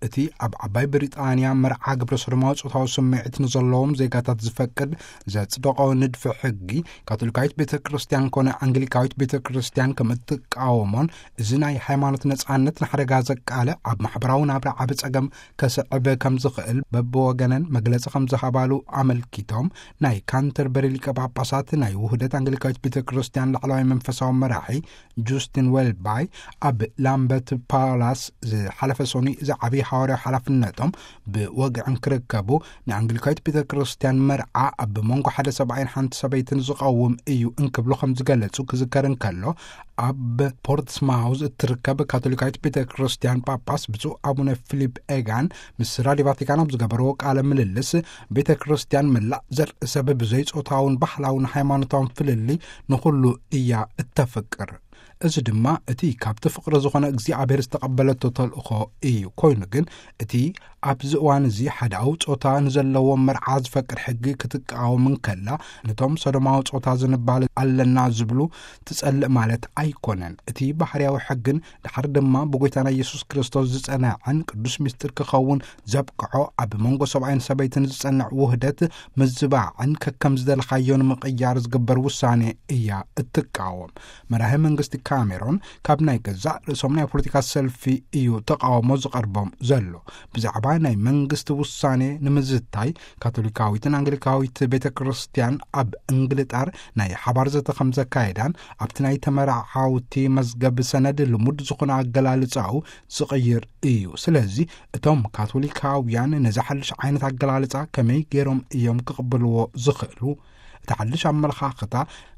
እቲ ኣብ ዓባይ ብሪጣንያ መርዓ ግብረ ሰዶማዊ ጾታዊ ስምዒት ንዘለዎም ዜጋታት ዝፈቅድ ዘጽደቖ ንድፊ ሕጊ፣ ካቶሊካዊት ቤተ ክርስቲያን ኮነ ኣንግሊካዊት ቤተ ክርስቲያን ከም እትቃወሞን፣ እዚ ናይ ሃይማኖት ነጻነት ንሓደጋ ዘቃልዕ፣ ኣብ ማሕበራዊ ናብራ ዓቢ ጸገም ከስዕብ ከም ዝኽእል በብወገነን መግለጺ ከም ዝሃባሉ ኣመልኪቶም፣ ናይ ካንተርበሪ ሊቀ ጳጳሳት ናይ ውህደት ኣንግሊካዊት ቤተ ክርስቲያን ላዕለዋይ መንፈሳዊ መራሒ ጁስቲን ዌልባይ ኣብ ላምበርት ፓላስ ዝሓለፈ ሰኑይ እዚ ዓብዪ ሓዋርያዊ ሓላፍነቶም ብወግዒ እንክርከቡ፣ ንኣንግሊካዊት ቤተ ክርስቲያን መርዓ ኣብ መንጎ ሓደ ሰብኣይን ሓንቲ ሰበይትን ዝቐውም እዩ እንክብሉ ከም ዝገለጹ ክዝከር እንከሎ፣ ኣብ ፖርትስማውዝ እትርከብ ካቶሊካዊት ቤተ ክርስቲያን ጳጳስ ብፁዕ ኣቡነ ፊሊፕ ኤጋን ምስ ራዲዮ ቫቲካን ኣብ ዝገበርዎ ቃለ ምልልስ፣ ቤተ ክርስቲያን መላእ ዘርኢ ሰብ ብዘይ ጾታውን ባህላውን ሃይማኖታውን ፍልልይ ንኹሉ እያ እተፍቅር። እዚ ድማ እቲ ካብቲ ፍቕሪ ዝኾነ እግዚኣብሔር ዝተቐበለቶ ተልእኾ እዩ። ኮይኑ ግን እቲ ኣብዚ እዋን እዚ ሓዳዊ ጾታ ንዘለዎም መርዓ ዝፈቅድ ሕጊ ክትቃወም እንከላ፣ ነቶም ሰዶማዊ ጾታ ዝንባል ኣለና ዝብሉ ትጸልእ ማለት ኣይኮነን። እቲ ባህርያዊ ሕግን ድሓር ድማ ብጎይታና ኢየሱስ ክርስቶስ ዝጸንዐን ቅዱስ ምስጢር ክኸውን ዘብቅዖ ኣብ መንጎ ሰብኣይን ሰበይትን ዝጸንዕ ውህደት ምዝባዕን ከከም ዝደለኻዮ ንምቕያር ዝግበር ውሳኔ እያ እትቃወም። መራሒ መንግስቲ ካሜሮን ካብ ናይ ገዛእ ርእሶም ናይ ፖለቲካ ሰልፊ እዩ ተቃውሞ ዝቐርቦም ዘሎ። ብዛዕባ ናይ መንግስቲ ውሳኔ ንምዝታይ ካቶሊካዊትን ኣንግሊካዊት ቤተ ክርስቲያን ኣብ እንግልጣር ናይ ሓባር ዘተ ከም ዘካየዳን ኣብቲ ናይ ተመራዓውቲ መዝገብ ሰነድ ልሙድ ዝኾነ ኣገላልጻኡ ዝቕይር እዩ። ስለዚ እቶም ካቶሊካውያን ነዚ ሓድሽ ዓይነት ኣገላልጻ ከመይ ገይሮም እዮም ክቕበልዎ ዝኽእሉ? እቲ ሓድሽ ኣመለኻኽታ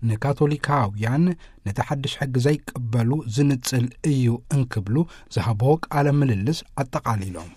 ንካቶሊካውያን ነቲ ሓድሽ ሕጊ ዘይቅበሉ ዝንጽል እዩ እንክብሉ ዝሃብዎ ቃለ ምልልስ ኣጠቓሊሎም።